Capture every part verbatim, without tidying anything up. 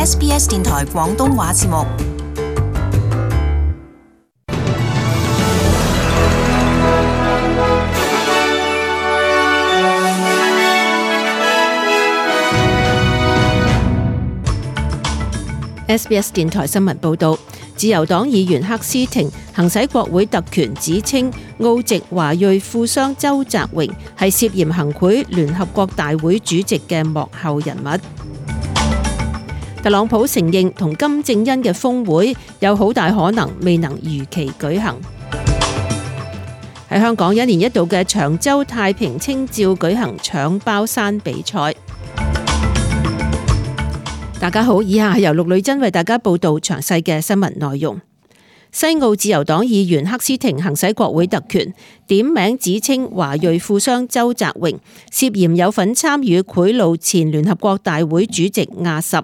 S B S 電台廣東話節目。S B S 電台新聞報導，自由黨議員克斯廷行使國會特權，指稱澳籍華裔富商周澤榮係涉嫌行賄聯合國大會主席嘅幕後人物。特朗普承認同金正恩嘅峰會有好大可能未能如期舉行。喺香港，一年一度嘅長洲太平清醮舉行搶包山比賽。大家好，以下係由陸女真為大家報道詳細嘅新聞內容。西澳自由黨議員克斯廷行使國會特權，點名指稱華裔富商周澤榮涉嫌有份參與賄賂前聯合國大會主席亞什。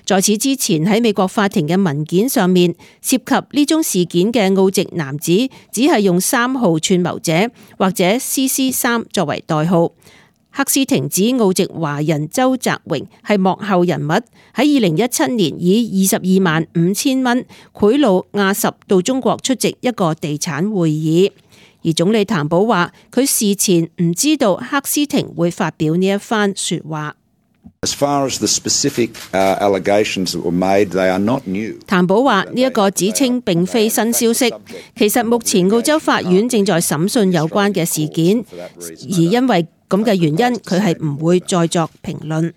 在此之前喺美國法庭嘅文件上面，涉及呢宗事件嘅澳籍男子只係用三號串謀者或者 C C 三作為代號。克斯廷指澳籍華人周澤榮係幕後人物，喺二零一七年以二十二萬五千蚊賄賂亞什到中國出席一個地產會議，而總理譚寶話佢事前唔知道克斯廷會發表呢一番說話。As far as the specific allegations that were made, they are not new. 譚寶話呢一個指稱並非新消息，其實目前澳洲法院正在審訊有關嘅事件，而因為咁嘅原因，佢係唔會再作評論。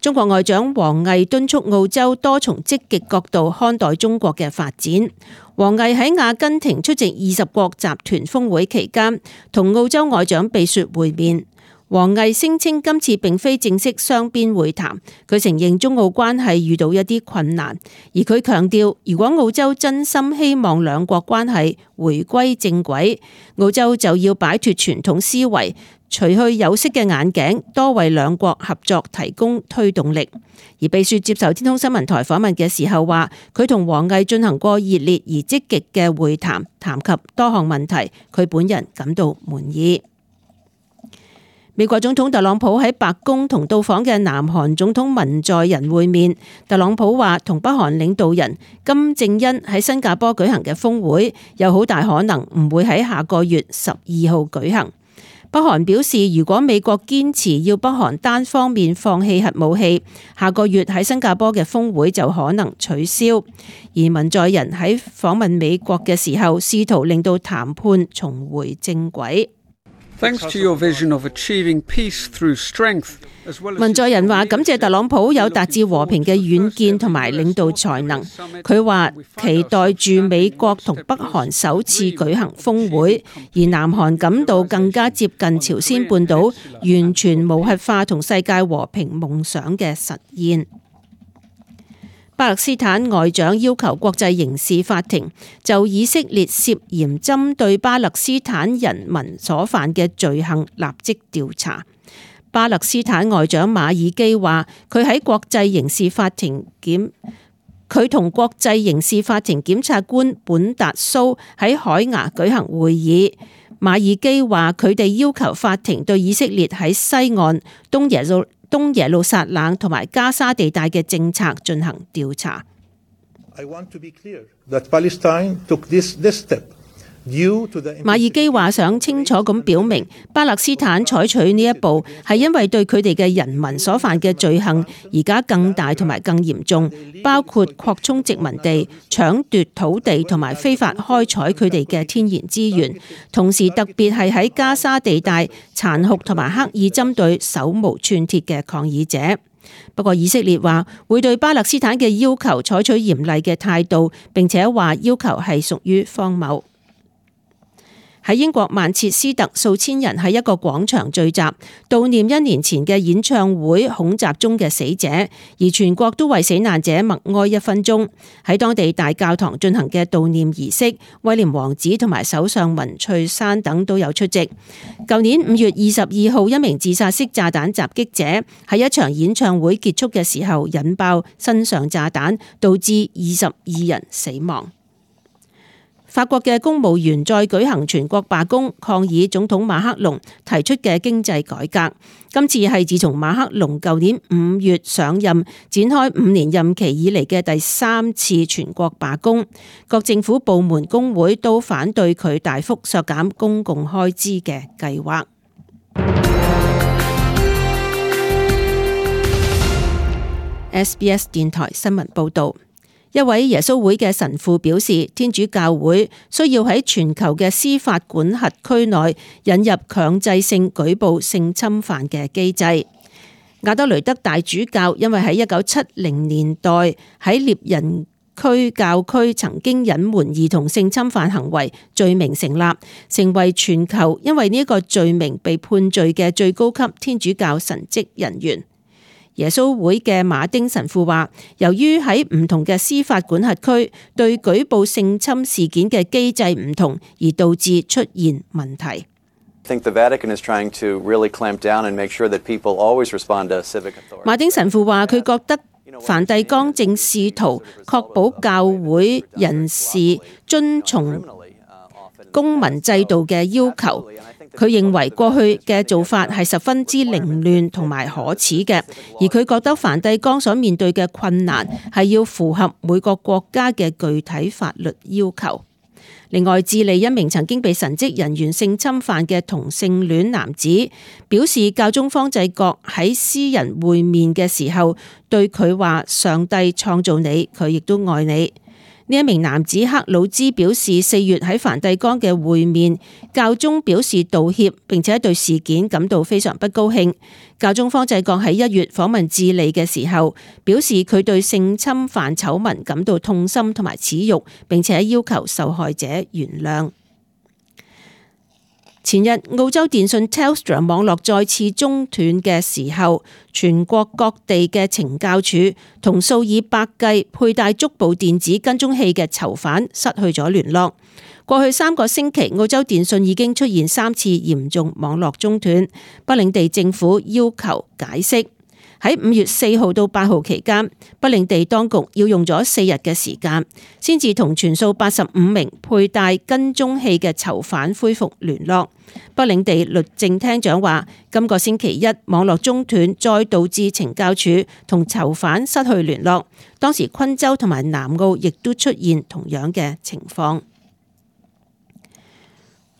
中國外長王毅敦促澳洲多從積極角度看待中國嘅發展。王毅喺阿根廷出席二十國集團峰會期間，同澳洲外長貝雪會面。王毅聲稱今次並非正式雙邊會談，佢承認中澳關係遇到一啲困難，而佢強調，如果澳洲真心希望兩國關係回歸正軌，澳洲就要擺脫傳統思維，除去有色嘅眼鏡，多為兩國合作提供推動力。而貝雪接受天空新聞台訪問嘅時候話，佢同王毅進行過熱烈而積極嘅會談，談及多項問題，佢本人感到滿意。美國總統特朗普喺白宮同到訪嘅南韓總統文在寅會面。特朗普話同北韓領導人金正恩喺新加坡舉行嘅峰會有好大可能唔會喺下個月十二號舉行。北韓表示，如果美國堅持要北韓單方面放棄核武器，下個月喺新加坡嘅峰會就可能取消。而文在寅喺訪問美國嘅時候，試圖令到談判重回正軌。Thanks to your vision of achieving peace through strength. 文在寅話感謝特朗普有達至和平嘅遠見同埋領導才能。佢話期待住美國同北韓首次舉行峰會，而南韓感到更加接近朝鮮半島完全無核化同世界和平夢想嘅實現。巴勒斯坦外長要求國際刑事法庭就以色列涉嫌針對巴勒斯坦人民所犯嘅罪行立即調查。巴勒斯坦外長馬爾基話，佢喺國際刑事法庭檢，佢同國際刑事法庭檢察官本達蘇喺海牙舉行會議。馬爾基話，佢哋要求法庭對以色列喺西岸、東耶路東耶路撒冷同埋加沙地帶嘅政策進行調查。馬爾基話想清楚咁表明，巴勒斯坦採取呢一步係因為對佢哋嘅人民所犯嘅罪行而家更大同埋更嚴重，包括擴充殖民地、搶奪土地同埋非法開採佢哋嘅天然資源，同時特別係喺加沙地帶殘酷同埋刻意針對手無寸鐵嘅抗議者。不過以色列話會對巴勒斯坦嘅要求採取嚴厲嘅態度，並且話要求係屬於荒謬。喺英國曼徹斯特，數千人喺一個廣場聚集，悼念一年前嘅演唱會恐襲中嘅死者，而全國都為死難者默哀一分鐘。喺當地大教堂進行嘅悼念儀式，威廉王子同埋首相文翠珊等都有出席。舊年五月二十二號，一名自殺式炸彈襲擊者喺一場演唱會結束嘅時候引爆身上炸彈，導致二十二人死亡。法國嘅公務員再舉行全國罷工，抗議總統馬克龍提出嘅經濟改革。今次係自從馬克龍舊年五月上任，展開五年任期以嚟嘅第三次全國罷工。各政府部門工會都反對佢大幅削減公共開支嘅計劃。S B S 電台新聞報道。一位耶穌會嘅神父表示，天主教會需要喺全球嘅司法管轄區內引入強制性舉報性侵犯嘅機制。亞德雷德大主教因為喺一九七零年代喺獵人區教區曾經隱瞞兒童性侵犯行為罪名成立，成為全球因為呢一個罪名被判罪嘅最高級天主教神職人員。耶穌會嘅馬丁神父話，由於喺唔同嘅司法管轄區對舉報性侵事件嘅機制唔同，而導致出現問題。馬丁神父話，佢覺得梵蒂岡正試圖確保教會人士遵從公民制度嘅要求。佢認為過去嘅做法係十分之凌亂同埋可恥嘅，而佢覺得梵蒂岡所面對嘅困難係要符合每個國家嘅具體法律要求。另外，智利一名曾經被神職人員性侵犯嘅同性戀男子表示，教宗方濟各喺私人會面嘅時候對佢話：上帝創造你，佢亦都愛你。呢一名男子克魯茲表示，四月喺梵蒂岡嘅會面，教宗表示道歉，並且對事件感到非常不高興。教宗方濟各喺一月訪問智利嘅時候，表示佢對性侵犯醜聞感到痛心同埋恥辱，並且要求受害者原諒。前日澳洲電信 Telstra 網絡再次中斷嘅時候，全國各地嘅懲教署同數以百計佩戴足部電子跟蹤器嘅囚犯失去咗聯絡。過去三個星期，澳洲電信已經出現三次嚴重網絡中斷，北領地政府要求解釋。喺五月四號到八號期間，北領地當局要用咗四日嘅時間，先至同全數八十五名佩戴跟蹤器嘅囚犯恢復聯絡。北領地律政廳長話，今個星期一網絡中斷，再導致懲教署同囚犯失去聯絡。當時昆州同埋南澳亦都出現同樣嘅情況。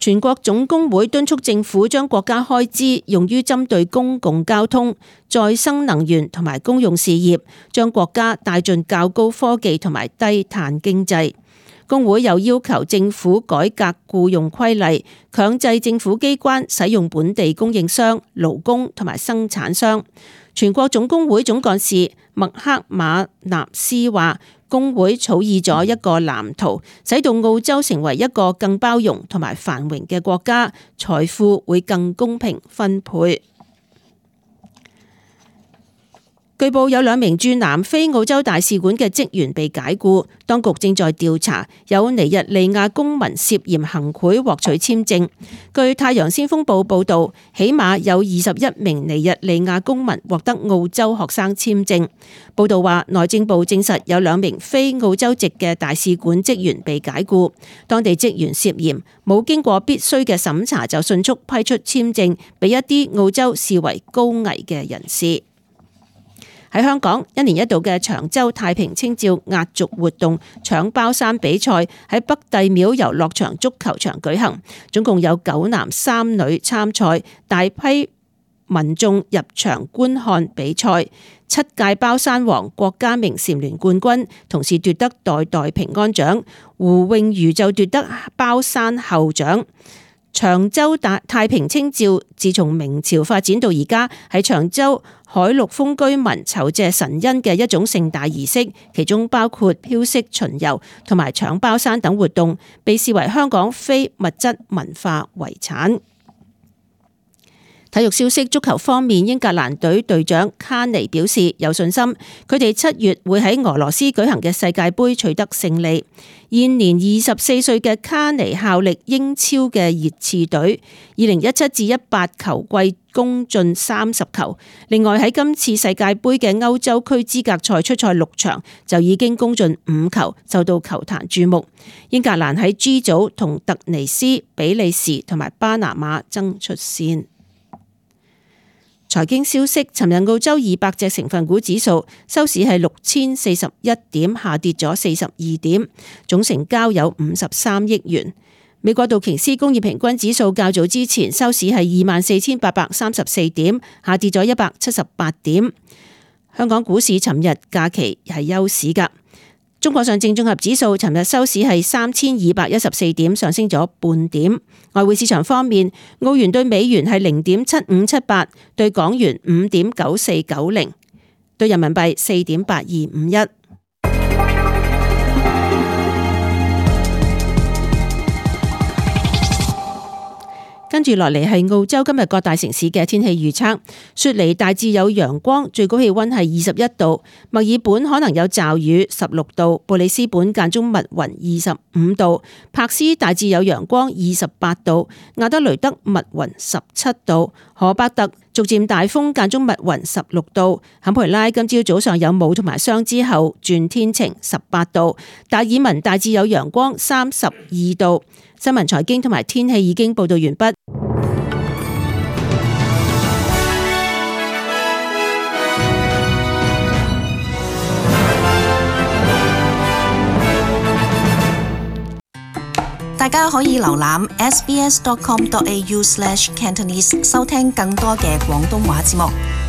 全國總工會敦促政府將國家開支用於針對公共交通、再生能源同埋公用事業，將國家帶進較高科技同埋低碳經濟。工會又要求政府改革僱用規例，強制政府機關使用本地供應商、勞工同埋生產商。全國總工會總幹事麥克馬納斯話，工會草擬咗一個藍圖，使到澳洲成為一個更包容同埋繁榮嘅國家，財富會更公平分配。據報有兩名駐南非澳洲大使館嘅職員被解僱，當局正在調查有尼日利亞公民涉嫌行賄獲取簽證。據太陽先鋒報報道，起碼有二十一名尼日利亞公民獲得澳洲學生簽證。報道話，內政部證實有兩名非澳洲籍嘅大使館職員被解僱，當地職員涉嫌冇經過必須嘅審查就迅速批出簽證俾一啲澳洲視為高危嘅人士。喺香港，一年一度嘅長洲太平清醮壓軸活動搶包山比賽喺北帝廟遊樂場足球場舉行，總共有九男三女參賽，大批民眾入場觀看比賽。七屆包山王郭家明蟬聯冠軍，同時奪得代代平安獎，胡穎瑜就奪得包山后獎。長洲大太平清醮自從明朝發展到而家，係長洲海陸豐居民酬謝神恩嘅一種盛大儀式，其中包括飄色巡遊同埋搶包山等活動，被視為香港非物質文化遺產。體育消息，足球方面，英格蘭隊隊長卡尼表示有信心，佢哋七月會喺俄羅斯舉行嘅世界盃取得勝利。現年二十四歲嘅卡尼效力英超嘅熱刺隊，二零一七至一八球季攻進三十球。另外喺今次世界盃嘅歐洲區資格賽出賽六場，就已經攻進五球，受到球壇注目。英格蘭喺 G 組同突尼斯、比利時同埋巴拿馬爭出線。財經消息，尋日澳洲二百隻成分股指數收市係六千四十一點，下跌咗四十二點，總成交有五十三億元。美國道瓊斯工業平均指數較早之前收市係二萬四千八百三十四點，下跌咗一百七十八點。香港股市尋日假期係休市㗎。中國上證綜合指數尋日收市係三千二百一十四點，上升咗半點。外匯市場方面，澳元對美元係零點七五七八，對港元五點九四九零，對人民幣四點八二五一。跟住落嚟係澳洲今日各大城市嘅天氣預測。雪梨大致有陽光，最高氣溫係二十一度；墨爾本可能有驟雨，十六度；布里斯本間中密雲，二十五度；柏斯大致有陽光，二十八度；亞德雷德密雲，十七度；荷伯特逐漸大風間中密雲，十六度；坎培拉今朝早上有霧同埋霜之後轉天晴，十八度；達爾文大致有陽光，三十二度。新聞財經同埋天氣已經報道完畢。大家可以瀏覽 s b s dot com dot a u slash cantonese 收聽更多嘅廣東話節目。